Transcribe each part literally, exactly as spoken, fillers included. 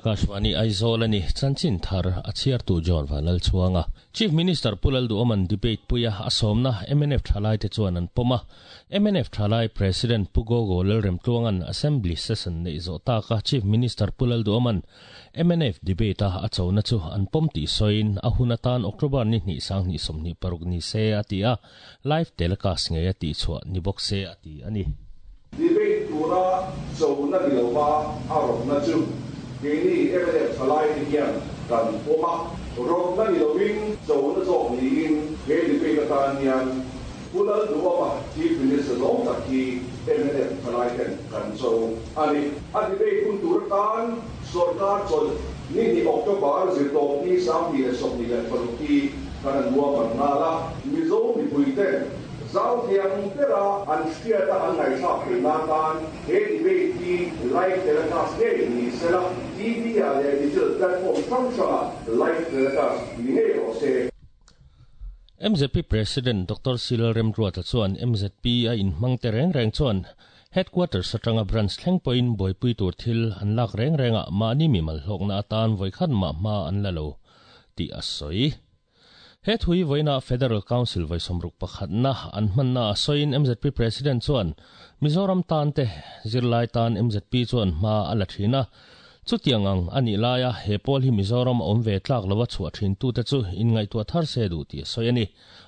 Akashvani Aizawl ani chanchin thar a chhiartu John Vanlal chuanga Chief Minister Pu Lalduhoma'n debate puia a sawmna M N F thalai te chuan an pawm a. M N F thalai President Pu Gogo Lalremtluanga'n Assembly session neih zawh taka Chief Minister Pu Lalduhoma'n M N F debate a a chona chu an pawm tih sawiin a hun atan October ni hnih sanghnih sawmhnih paruk ni se a ti a, live telecast ngei a tih chhuah ni bawk se a ti a ni. Debate tura chona ni lova a rawtna chu keini M N F thalai te hian kan pawm a. Rawtna ni lovin chona zawk niin he debate atan hian Pu Lalduhoma, Chief Minister zawng tak hi M N F thalai ten kan cho a ni. A debate hun tur atan sorkar chawlh ni hnih, October zirtawp ni sanghnih leh sawmhnih leh paruk hi kan an ruahman nghal a. Mizo mipui ten zau thiang bera an hriata an ngaihthlak theih nan tan he debate hi live telecast ngei ni sela, T V ah leh digital platform hrang hranga live telecast ni ngei rawh se. M Z P President Doctor C Lalremruata chuan M Z P a inhmang te reng reng chuan headquarters atanga branch thleng pawhin buaipui tur thil an lak reng renga mahni mimal hlawkna atan vawikhat mah hma an la lo tih a sawi. He thui voina Federal Council voi somruk pakhatna an hmanna a sawiin M Z P President chuan Mizoram tan te zirlai tan M Z P chuan hma a la thina. Chutiang ang ani laia he pawl hi Mizoram awm ve tlak lova chhuah thin tu te chu in ngaihtuah thar se duh tih a sawi a ni.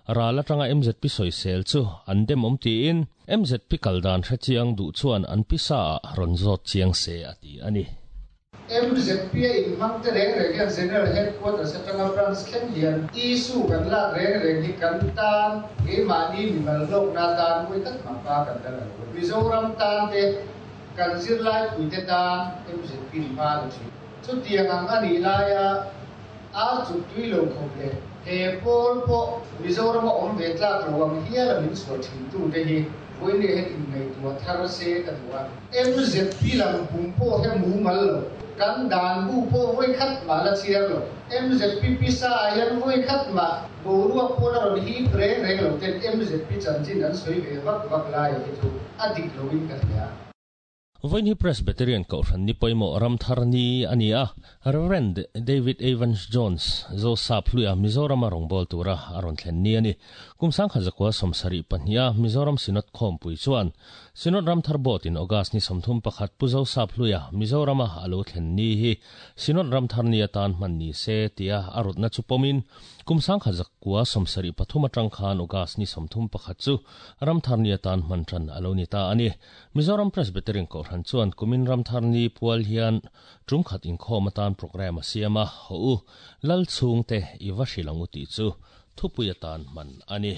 Ral atanga M Z P sawisel chu an dem awm tiin M Z P kaldan hre chiang duh chuan an pisa ah rawn zawt chiang se a ti a ni. M Z P a inhmang te reng reng hian General Headquarters atanga branch thleng hian issue kan lak reng reng hi kan tan keimahni mimal hlawkna tan vawikhat mah hma kan la lo. Mizoram tan te kan zirlai puite tan M Z P hma la thin. Chutiang ang anih laia ar chuk tui lo khawp leh he pawl pawh Mizoram a awm ve tlak lo ang hial a min chhuah thin tu te hi vawiin hian inngaihtuah thar se ka duh a. M Z P lam pum pawh he mumal lo, kan dan bu pawh vawikhat mah la chhiar lo, M Z P pisa ah hian vawikhat mah boruak pawn a rawn hip reng reng lo ten M Z P chanchin an sawi ve vak vak lai hi chu a dik loin ka hria. Vawiin hi Presbyterian Kohhran ni pawimawh Ramthar ni a ni a. Reverend David Evans Jones Zosap hluia Mizoram a rawngbâwl tura a rawn thlen ni a ni. Kum sangkhat zakua sawmsarih pahniha Mizoram Synod khawmpui chuan Synod Ramthar Board in August ni sawmthum pakhat Pu Zosap hluia Mizorama a lo thlen ni hi Synod Ramthar ni atan hman ni se tia a rawtna chu pawmin kum sangkhat zakua sawmsarih pathum atang khan August ni sawmthum pakhat chu Ramthar ni atan hman tan a lo ni ta a ni. Mizoram Presbyterian Kohhran chuan kumin Ramthar ni pual hian tum khat inkhawm atan program a siam a, ho u lal chhungte i va hrilh ang u tih chu thupui atan hman a ni.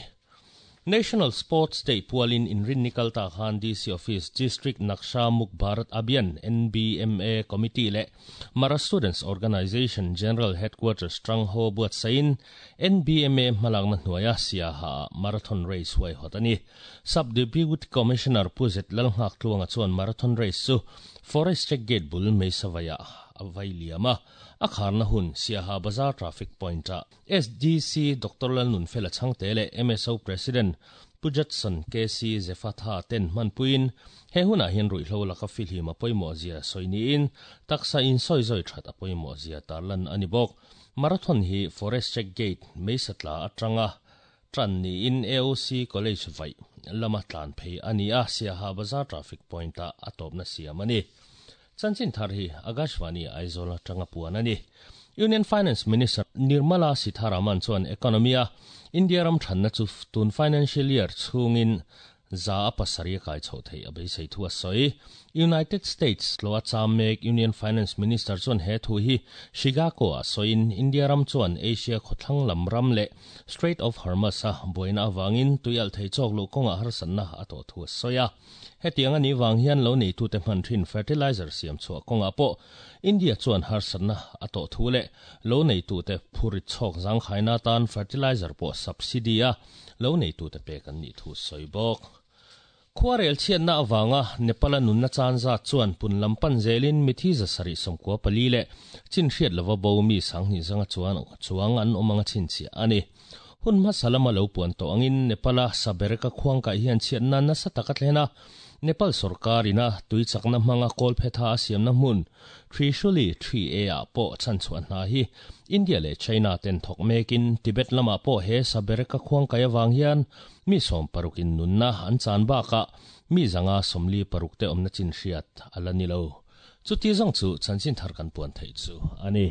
National Sports Day pualin inrin ni kalta khan D C Office District Naksha Muk Bharat Abhiyan N B M A Committee le Mara Students Organization General Headquarters Trang Ho buat sain N B M A hmalakna hnuaia Siaha marathon race huai hot ani. Sub Deputy Commissioner Puzet Lalngak tluanga chuan marathon race chu Forest Check Gate bul Meisavaya avai liama a kharna hun Siaha Bazar traffic point a S D C Doctor Lalnun Fela Changte le M S O President Pujatson K C Zefatha ten manpuin he huna hian ruihhlo laka filhim a pawimawh zia sawi in taksa in sawi zawi that a pawimawh zia tarlan ani bawk. Marathon hi Forest Check Gate Meisatla atanga tran ni in A O C College vai lama tlan phei ani a, Siaha Bazar traffic point a atawpna siam ani. Chanchin thar hi Akashvani Aizawl atanga puan ani. Union Finance Minister Nirmala Sitharaman chuan economy a India ram thanna chu tun financial year chhungin za a pasarih kai chho thei a beisei thu a sawi. United States lo a cham mek Union Finance Minister chuan he thu hi Chicago a sawiin India ram chuan Asia khawthlang lam ram leh Strait of Hormuz a buaina awangin tuial thei chawk lu kawnga harsatna a tawh thu a sawi a. Hetiang ani wang hian lo nei tu te hman thin fertilizer siam chhuah kawnga pawh India chuan harsatna a tawh thu leh lo nei tu te phuri chhawk zangkhaina tan fertilizer pawh subsidy a lo nei tu te pek an nih thu sawi bawk. Khuarel chhiatna awanga Nepal a nunna chan zat chuan pun lampan zelin mithi za sarih sawmkua pali leh chin hriat lova bo mi sanghnih zanga chuan chuang an awm anga chhinchhiah ani. Hun hmasa lama lo puan tawh angin Nepal a Sabereka khuang kai hian chhiatna nasa taka thlena. Nepal sarkarina tui chakna hmanga kawl phetha a siamna hmun Trishuli three A ah pawh chan chhuah hna hi India leh China ten thawk mekin Tibet lamah pawh he sabereka khuang kai awang hian mi sawm parukin nunna an chan bakah mi zanga sawmli paruk te awmna chin hriat a la ni lo. Chuti zawng chu chanchin thar kan puan theih chu a ni.